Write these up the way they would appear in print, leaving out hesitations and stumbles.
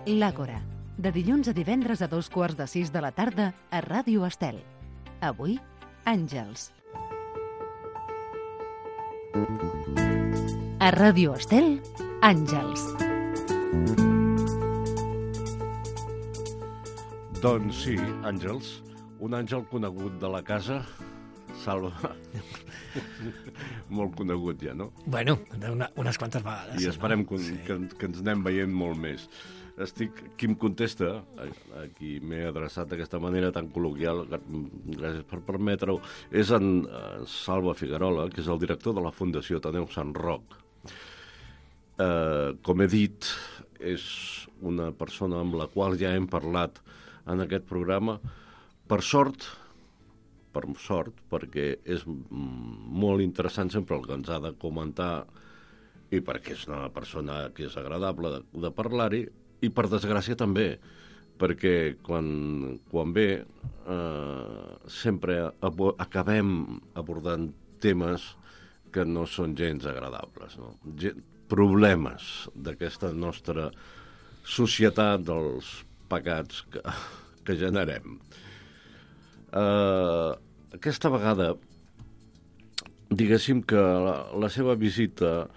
L'Àgora, de dilluns a divendres a 14:15 de la tarda a Ràdio Estel. Avui, Àngels. A Ràdio Estel, Àngels. Doncs sí, Àngels, un àngel conegut de la casa, Salva, molt conegut ja, no? Bueno, unes quantes vegades. I esperem que ens anem veient molt més. Qui em contesta, a qui m'he adreçat d'aquesta manera tan col·loquial, gràcies per permetre-ho, és en Salva Figuerola, que és el director de la Fundació Ateneu Sant Roc. Com he dit, és una persona amb la qual ja hem parlat en aquest programa, per sort, perquè és molt interessant sempre el que ens ha de comentar i perquè és una persona que és agradable de parlar-hi, i per desgràcia també, perquè quan ve sempre acabem abordant temes que no són gens agradables, no? Problemes d'aquesta nostra societat, dels pecats que generem. Aquesta vegada, diguéssim que la seva visita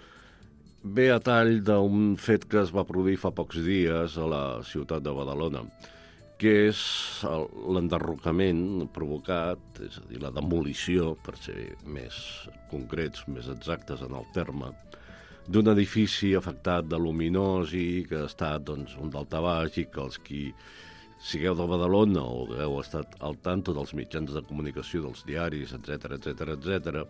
ve a tall d'un fet que es va produir fa pocs dies a la ciutat de Badalona, que és l'enderrocament provocat, és a dir, la demolició, per ser més concrets, més exactes en el terme, d'un edifici afectat de luminosi, que ha estat un daltabaix, i que els qui sigueu de Badalona o heu estat al tanto dels mitjans de comunicació, dels diaris, etc.,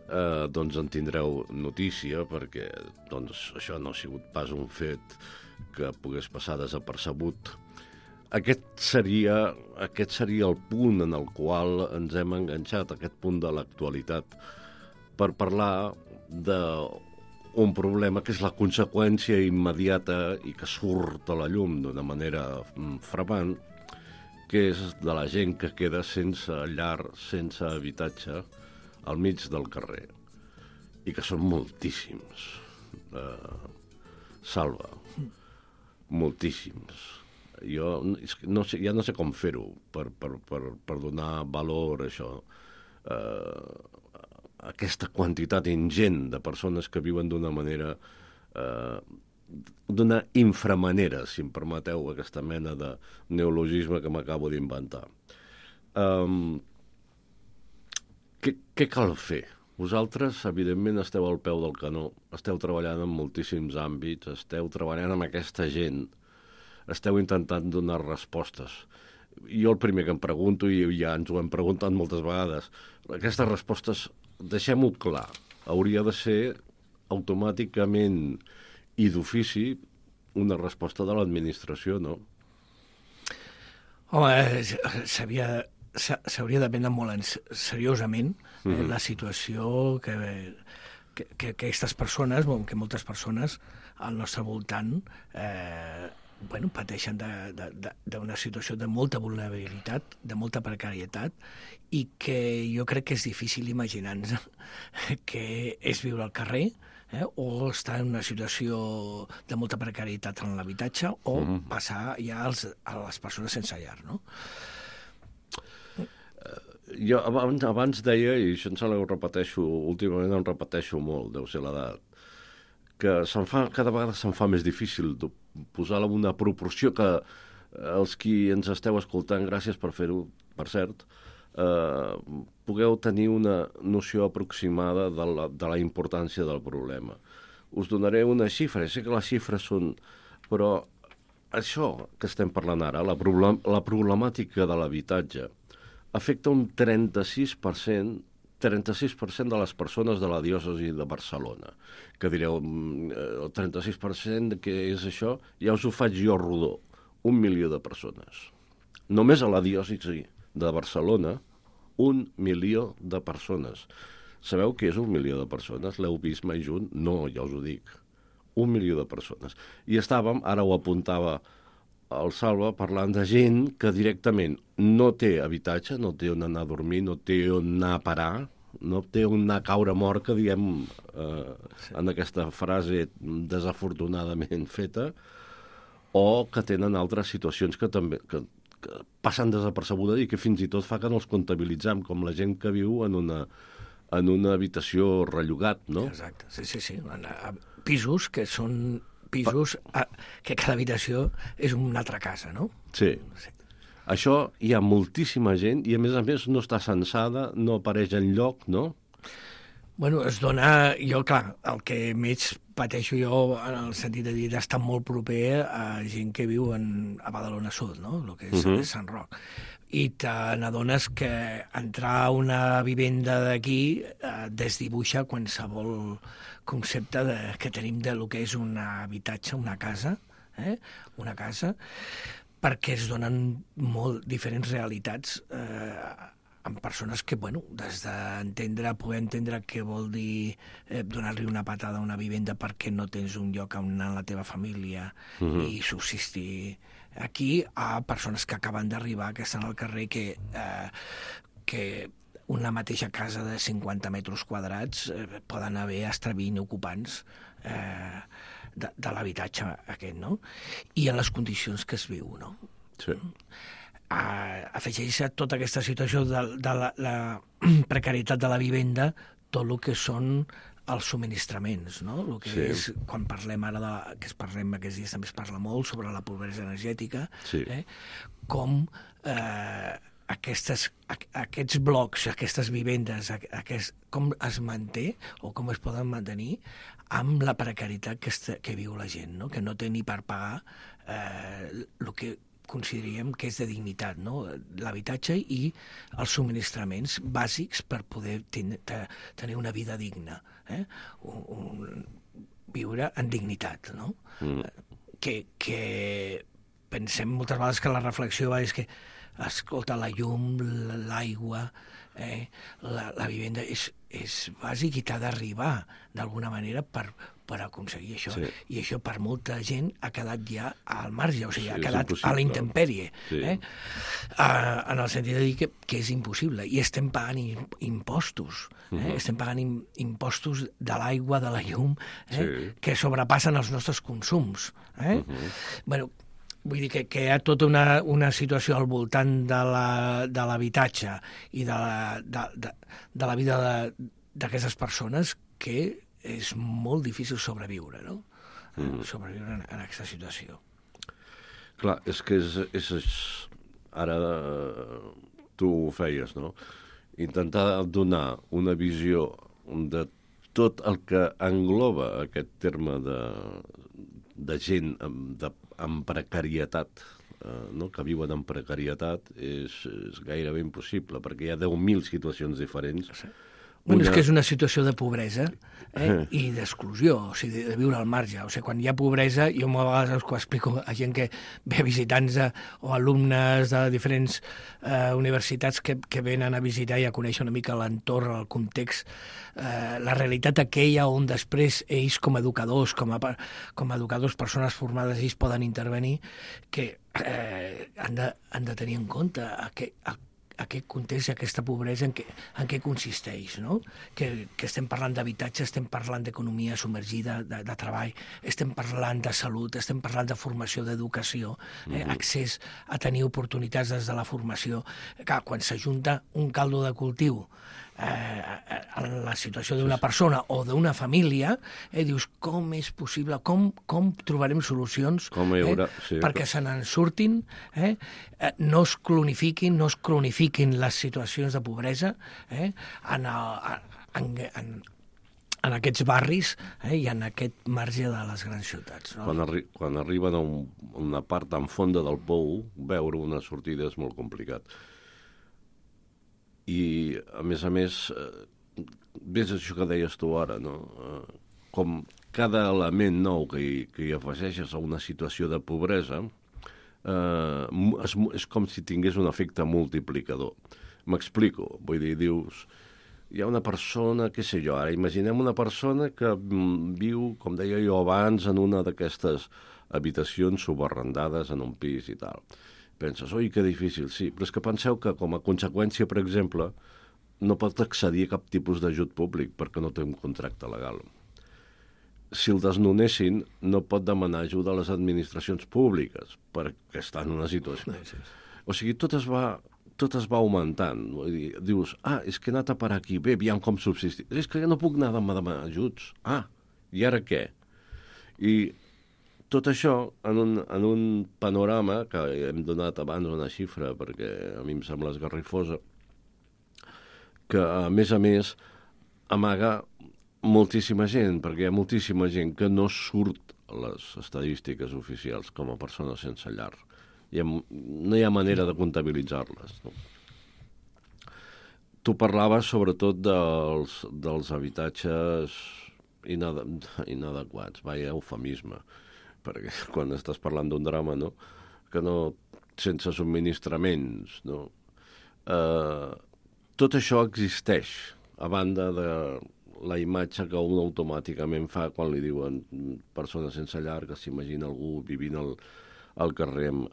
doncs en tindreu notícia, perquè això no ha sigut pas un fet que pogués passar desapercebut. Aquest seria el punt en el qual ens hem enganxat, aquest punt de l'actualitat, per parlar d'un problema que és la conseqüència immediata i que surt a la llum d'una manera frapant, que és de la gent que queda sense llar, sense habitatge, al mig del carrer, i que són moltíssims. Salva, moltíssims. Jo ja no sé com fer-ho per donar valor a això. Aquesta quantitat ingent de persones que viuen d'una manera, d'una inframanera, si em permeteu aquesta mena de neologisme que m'acabo d'inventar. Què cal fer? Vosaltres, evidentment, esteu al peu del canó, esteu treballant en moltíssims àmbits, esteu treballant amb aquesta gent, esteu intentant donar respostes. Jo el primer que em pregunto, i ja ens ho hem preguntat moltes vegades, aquestes respostes, deixem-ho clar, hauria de ser automàticament i d'ofici una resposta de l'administració, no? Home, s'hauria de prendre molt seriosament la situació que aquestes persones, que moltes persones al nostre voltant pateixen d'una situació de molta vulnerabilitat, de molta precarietat, i que jo crec que és difícil imaginar-nos que és viure al carrer, o estar en una situació de molta precarietat en l'habitatge, o passar ja a les persones sense llar, no? Jo abans deia, i això ho repeteixo, últimament em repeteixo molt, deu ser l'edat, que cada vegada se'm fa més difícil posar-la en una proporció que els qui ens esteu escoltant, gràcies per fer-ho, per cert, pugueu tenir una noció aproximada de la importància del problema. Us donaré una xifra, sé que les xifres són... Però això que estem parlant ara, la problemàtica de l'habitatge, afecta un 36% de les persones de la diòcesi de Barcelona. Que direu, el 36% què és això? Ja us ho faig jo rodó. 1 milió de persones. Només a la diòcesi de Barcelona, 1 milió de persones. Sabeu què és 1 milió de persones? L'heu vist mai junt? No, ja us ho dic. 1 milió de persones. I estàvem, ara ho apuntava el Salva, parlant de gent que directament no té habitatge, no té on anar a dormir, no té on anar a parar, no té on anar a caure mort, que diem en aquesta frase desafortunadament feta, o que tenen altres situacions que també que passen desapercebudes i que fins i tot fa que no els comptabilitzem, com la gent que viu en una habitació rellogat, no? Exacte, sí. Pisos que són pisos que cada habitació és una altra casa, no? Sí. Això hi ha moltíssima gent i, a més, no està censada, no apareix enlloc, no? Bueno, es dona... Jo, clar, el que més pateixo jo en el sentit de dir d'estar molt proper a gent que viu a Badalona Sud, no? El que és Sant Roc. I te n'adones que entrar a una vivenda d'aquí desdibuixa qualsevol concepte que tenim de lo que és un habitatge, una casa, una casa, perquè es donen molt diferents realitats amb persones que, bueno, des poder entendre què vol dir donar-li una patada a una vivenda perquè no tens un lloc on anar a la teva família i subsistir aquí, a persones que acaben d'arribar, que estan al carrer, que una mateixa casa de 50 metres quadrats poden haver fins 20 ocupants de l'habitatge aquest, no? I en les condicions que es viu, no? Sí. Afegeix a tota aquesta situació de la precarietat de la vivenda tot el que són els subministraments, no? El que és, quan parlem ara aquests dies també es parla molt sobre la pobresa energètica, com aquests blocs, aquestes vivendes, com es manté o com es poden mantenir amb la precarietat que viu la gent, no? Que no té ni per pagar el que consideraríem que és de dignitat, no? L'habitatge i els subministraments bàsics per poder tenir una vida digna, viure en dignitat, no? Que pensem moltes vegades que la reflexió és que, escolta, la llum, l'aigua, la vivenda és bàsic i t'ha d'arribar d'alguna manera per aconseguir això. Sí. I això per molta gent ha quedat ja al marge, o sigui, ha quedat a la intempèrie. Sí. En el sentit de dir que és impossible. I estem pagant impostos. Estem pagant impostos de l'aigua, de la llum, que sobrepassen els nostres consums. Bueno, vull dir que hi ha tota una situació al voltant de l'habitatge i de la vida d'aquestes persones que és molt difícil sobreviure, no? Sobreviure en aquesta situació. Clar, és que ara tu ho feies, no? Intentar donar una visió de tot el que engloba aquest terme de gent amb precarietat, no? Que viuen en precarietat, és gairebé impossible, perquè hi ha 10.000 situacions diferents. Sí. Bueno, és que és una situació de pobresa i d'exclusió, o sigui, de viure al marge. O sigui, quan hi ha pobresa, jo a vegades ho explico a gent que ve visitants o alumnes de diferents universitats que venen a visitar i a conèixer una mica l'entorn, el context, la realitat aquella on després ells com a educadors, com a educadors, persones formades, ells poden intervenir, que han de tenir en compte aquest context i aquesta pobresa en què consisteix, no? Que estem parlant d'habitatge, estem parlant d'economia submergida, de treball, estem parlant de salut, estem parlant de formació, d'educació, accés a tenir oportunitats des de la formació. Clar, quan s'ajunta un caldo de cultiu en la situació d'una persona o d'una família, dius, com és possible, com trobarem solucions perquè se n'en surtin, no es cronifiquin les situacions de pobresa en aquests barris i en aquest marge de les grans ciutats. No? Quan arriben a una part tan fonda del pou, veure una sortida és molt complicat. I, a més, ves això que deies tu ara, no? Com cada element nou que hi afegeixes a una situació de pobresa és com si tingués un efecte multiplicador. M'explico, vull dir, dius, hi ha una persona, què sé jo, ara imaginem una persona que viu, com deia jo abans, en una d'aquestes habitacions subarrendades en un pis i tal. Penses, oi, que difícil, sí, però és que penseu que com a conseqüència, per exemple, no pot accedir a cap tipus d'ajut públic perquè no té un contracte legal. si el desnonessin, no pot demanar ajuda a les administracions públiques, perquè està en una situació. O sigui, tot es va augmentant. Vull dir, dius, és que he anat a parar aquí, bé, aviam com subsistir. És que ja no puc anar a demanar ajuts. I ara què? I tot això, en un panorama, que hem donat abans una xifra, perquè a mi em sembla esgarrifosa, que, a més, amaga moltíssima gent, perquè hi ha moltíssima gent que no surt a les estadístiques oficials com a persones sense llar. No hi ha manera de comptabilitzar-les. No? Tu parlaves sobretot dels habitatges inadequats, eufemisme, perquè quan estàs parlant d'un drama, no? Que no, sense subministraments, no? Tot això existeix, a banda de la imatge que un automàticament fa quan li diuen persones sense llar, que s'imagina algú vivint al carrer amb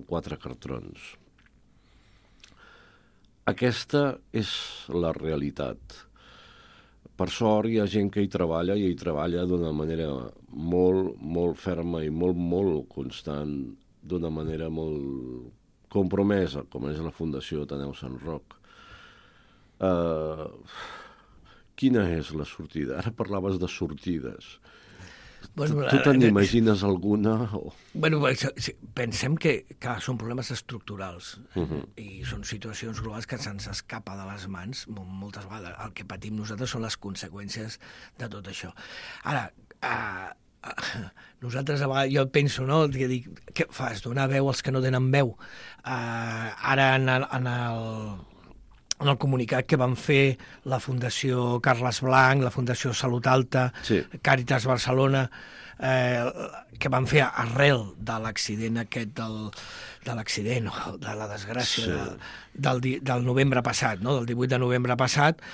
4 cartrons. Aquesta és la realitat. Per sort hi ha gent que hi treballa, i hi treballa d'una manera molt, molt ferma i molt, molt constant, d'una manera molt compromesa, com és la Fundació Ateneu Sant Roc. Quina és la sortida? Ara parlaves de sortides. Tu te n'imagines alguna? Pensem que són problemes estructurals i són situacions globals que se'ns escapa de les mans moltes vegades. El que patim nosaltres són les conseqüències de tot això. Ara, nosaltres a vegades, jo penso, no? Que dic, què fas? Donar veu als que no tenen veu. Ara en el comunicat que van fer la Fundació Carles Blanc, la Fundació Salut Alta, Càritas Barcelona, que van fer arrel de l'accident aquest de la desgràcia del novembre passat, no? Del 18 de novembre passat,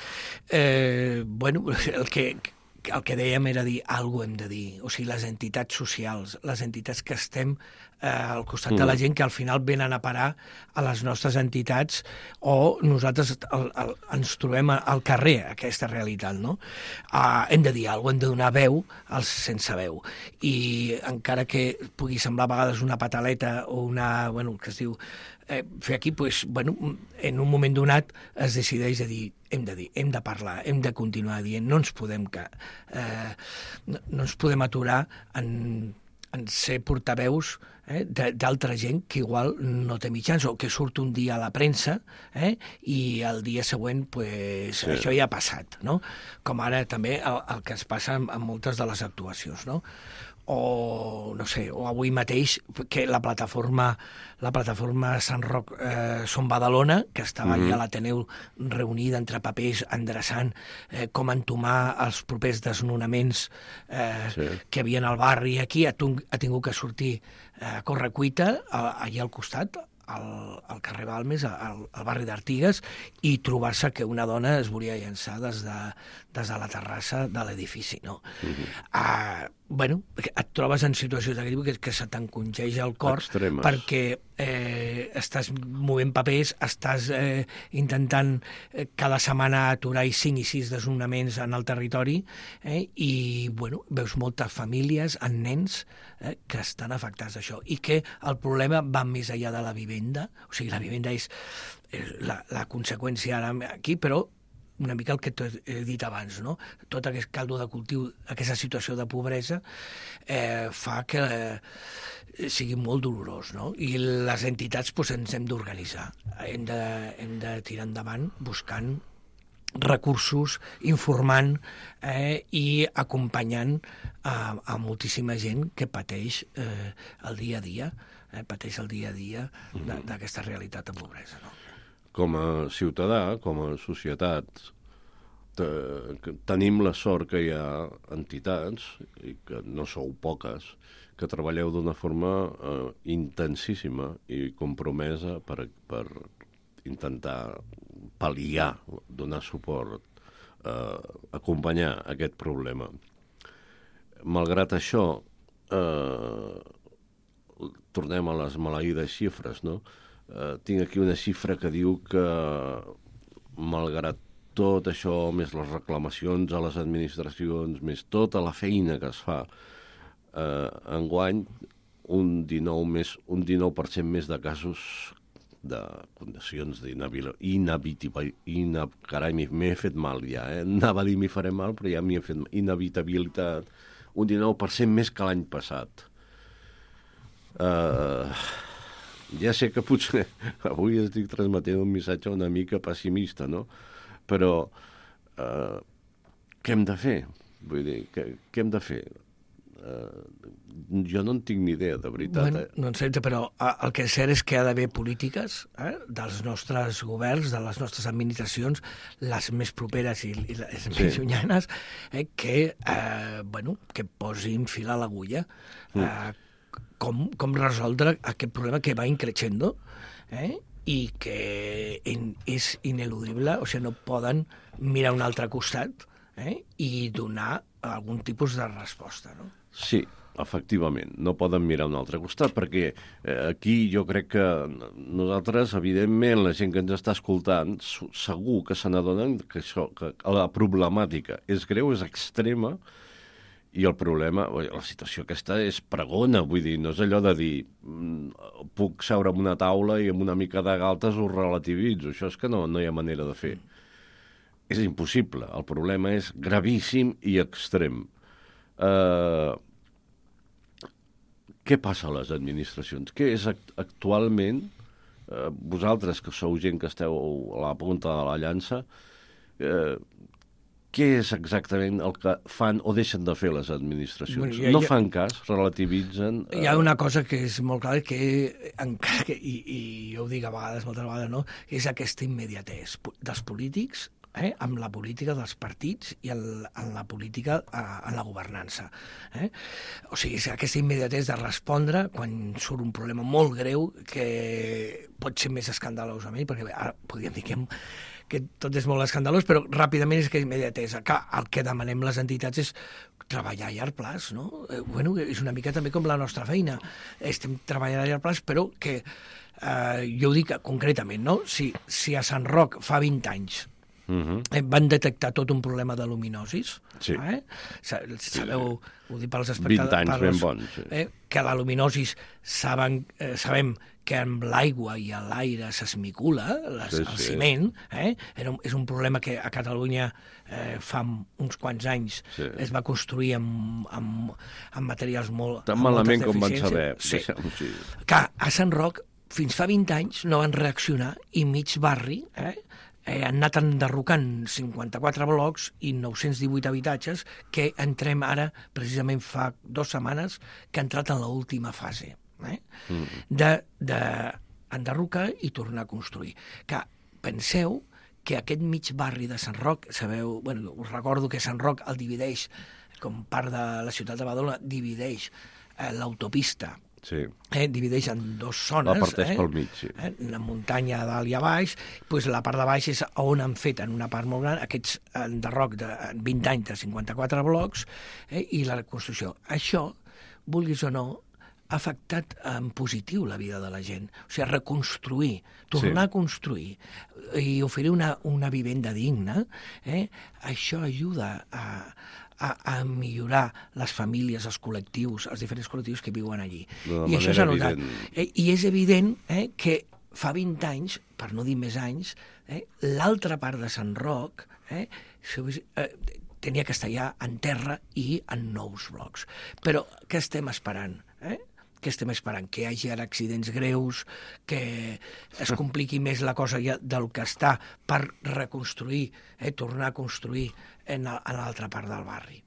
el que dèiem era dir, alguna cosa hem de dir. O sigui, les entitats socials, les entitats que estem al costat de la gent, que al final venen a parar a les nostres entitats, o nosaltres ens trobem al carrer, aquesta realitat, no? Hem de dir alguna cosa, hem de donar veu als sense veu. I encara que pugui semblar a vegades una pataleta o el que es diu fer aquí, en un moment donat es decideix a dir, hem de parlar, hem de continuar dient, no ens podem aturar en ser portaveus d'altra gent que igual no té mitjans, o que surt un dia a la premsa i el dia següent això ja ha passat, no? Com ara també el que es passa amb moltes de les actuacions, no? O avui mateix que la plataforma Sant Roc Som Badalona, que estava allà a l'Ateneu reunida entre papers endreçant com entomar els propers desnonaments que hi havia al barri aquí, ha tingut que sortir a correcuita allà al costat, al carrer Balmes, al barri d'Artigues, i trobar-se que una dona es volia llançar des de la terrassa de l'edifici, no? Et trobes en situacions d'aquest que se t'encongeix el cor extremes, perquè estàs movent papers, estàs intentant cada setmana aturar 5 i 6 desnonaments en el territori, i veus moltes famílies amb nens que estan afectats d'això, i que el problema va més enllà de la vivenda. O sigui, la vivenda és la conseqüència ara aquí, però una mica el que t'he dit abans, no? Tot aquest caldo de cultiu, aquesta situació de pobresa, fa que sigui molt dolorós, no? I les entitats ens hem d'organitzar. Hem de tirar endavant buscant recursos, informant i acompanyant a moltíssima gent que pateix el dia a dia, d'aquesta realitat de pobresa, no? Com a ciutadà, com a societat, tenim la sort que hi ha entitats, i que no sou poques, que treballeu d'una forma intensíssima i compromesa per intentar pal·liar, donar suport, acompanyar aquest problema. Malgrat això, tornem a les maleïdes xifres, no? Tinc aquí una xifra que diu que, malgrat tot això, més les reclamacions a les administracions, més tota la feina que es fa, enguany un 19% més de casos de condicions carai, m'he fet mal ja, anava a dir m'hi faré mal, però ja m'hi he fet inevitabilitat, un 19% més que l'any passat. Ja sé que potser avui estic transmetent un missatge una mica pessimista, no? Però què hem de fer? Vull dir, què hem de fer? Jo no en tinc ni idea, de veritat. Bueno, no en sé, però el que és cert és que hi ha d'haver polítiques dels nostres governs, de les nostres administracions, les més properes i les més llunyanes, que posin fil a l'agulla. Com resoldre aquest problema que va increixendo i que és ineludible, o sigui, no poden mirar a un altre costat i donar algun tipus de resposta, no? Sí, efectivament, no poden mirar a un altre costat, perquè aquí jo crec que nosaltres, evidentment, la gent que ens està escoltant, segur que se n'adonen que la problemàtica és greu, és extrema, i el problema, la situació aquesta és pregona, vull dir, no és allò de dir puc seure en una taula i amb una mica de galtes ho relativitzo, això és que no hi ha manera de fer. És impossible, el problema és gravíssim i extrem. Què passa a les administracions? Què és actualment, vosaltres que sou gent que esteu a la punta de la llança, què és exactament el que fan o deixen de fer les administracions? No fan cas, relativitzen... Hi ha una cosa que és molt clara, que encara que, i jo ho dic a vegades, moltes vegades, no? És aquesta immediatesa dels polítics amb la política dels partits i en la política, en la governança. O sigui, és aquesta immediatesa de respondre quan surt un problema molt greu que pot ser més escandalosament, perquè ara podríem dir que tot és molt escandalós, però ràpidament és que immediatesa. El que demanem les entitats és treballar a llarg plaç, no? Bueno, és una mica també com la nostra feina. Estem treballant a llarg plaç, però que jo ho dic concretament, no? Si a Sant Roc fa 20 anys van detectar tot un problema de luminosis. Sí. Sabeu, ho dic pels espectadors... 20 anys ben bons. Que la luminosis sabem que amb l'aigua i l'aire s'esmicula, el ciment. És un problema que a Catalunya fa uns quants anys es va construir amb materials molt... Tan malament com van saber. Sí. Que a Sant Roc, fins fa 20 anys, no van reaccionar i mig barri... han anat enderrocant 54 blocs i 918 habitatges que entrem ara, precisament fa 2 setmanes, que ha entrat en l'última fase d'enderrocar i tornar a construir. Que penseu que aquest mig barri de Sant Roc, sabeu, bueno, us recordo que Sant Roc el divideix, com part de la ciutat de Badalona, divideix l'autopista. Sí. Divideix en 2 zones. La parteix pel mig, sí. La muntanya a dalt i a baix, doncs la part de baix és on han fet, en una part molt gran, aquests enderroc de 20 anys de 54 blocs i la reconstrucció. Això, vulguis o no, ha afectat en positiu la vida de la gent. O sigui, reconstruir, tornar a construir i oferir una vivenda digna, això ajuda a millorar les famílies, els col·lectius, els diferents col·lectius que viuen allí. I això s'ha notat. I és evident que fa 20 anys, per no dir més anys, l'altra part de Sant Roc tenia que estar ja en terra i en nous blocs. Però què estem esperant? Què estem esperant? Que hi hagi ara accidents greus, que es compliqui més la cosa ja del que està per reconstruir, tornar a construir en l'altra part del barri.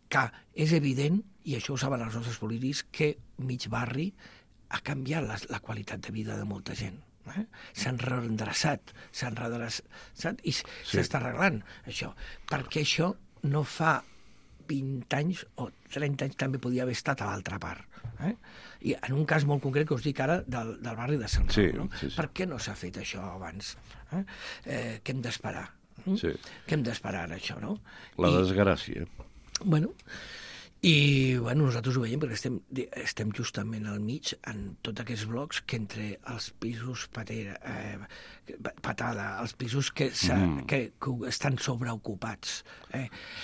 Que és evident, i això ho saben els nostres polítics, que mig barri ha canviat la qualitat de vida de molta gent. S'han reendreçat, i s'està arreglant això. Perquè això no fa 20 anys o 30 anys també podia haver estat a l'altra part. I en un cas molt concret que us dic ara del barri de Sant Roc. No? Sí. Per què no s'ha fet això abans? Què hem d'esperar? Què hem d'esperar ara, això, no? La desgràcia. Bueno, I bueno, nosaltres ho veiem perquè estem justament al mig en tots aquests blocs que entre els pisos patada, els pisos que estan sobreocupats,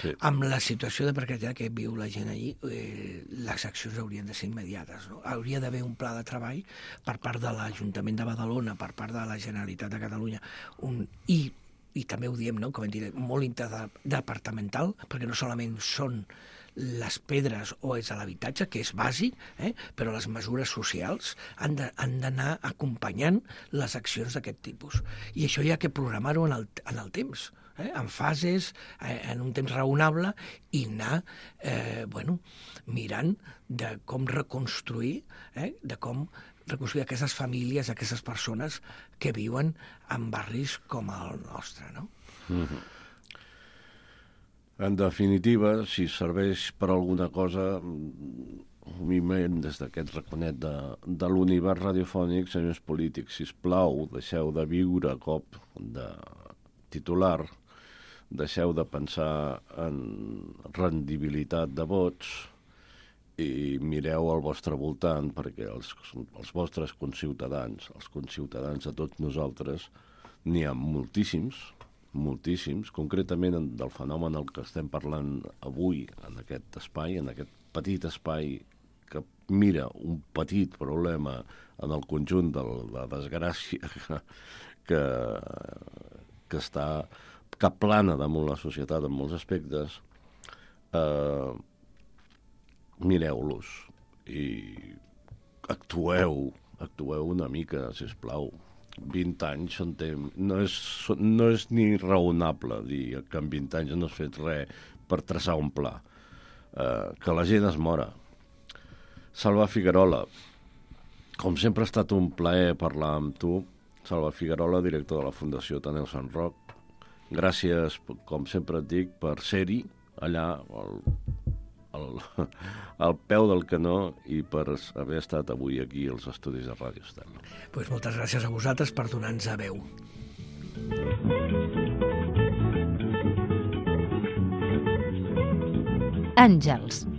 Sí. amb la situació de precarietat que viu la gent allí, les accions haurien de ser immediates. No? Hauria d'haver un pla de treball per part de l'Ajuntament de Badalona, per part de la Generalitat de Catalunya, i també ho diem, no? Com hem dit, molt interdepartamental, perquè no solament són les pedres o és l'habitatge, que és bàsic, però les mesures socials han d'anar acompanyant les accions d'aquest tipus. I això hi ha que programar-ho en el temps, en fases, en un temps raonable, i anar mirant de com reconstruir, de com reconstruir aquestes famílies, aquestes persones que viuen en barris com el nostre, no? Mm-hmm. En definitiva, si serveix per alguna cosa, humilment des d'aquest raconet de l'univers radiofònic, senyors polítics, sisplau, deixeu de viure a cop de titular, deixeu de pensar en rendibilitat de vots i mireu al vostre voltant, perquè els vostres conciutadans, els conciutadans de tots nosaltres, n'hi ha moltíssims, concretament del fenomen del que estem parlant avui en aquest espai, en aquest petit espai que mira un petit problema en el conjunt de la desgràcia que plana damunt la societat en molts aspectes. Mireu-los i actueu una mica, sisplau. 20 anys no és ni raonable dir que en 20 anys no has fet res per traçar un pla. Que la gent es mora. Salva Figuerola, com sempre ha estat un plaer parlar amb tu. Salva Figuerola, director de la Fundació Ateneu Sant Roc. Gràcies, com sempre et dic, per ser-hi allà al peu del canó i per haver estat avui aquí als estudis de Ràdio Estel. Pues moltes gràcies a vosaltres per donar-nos a veu. Àngels,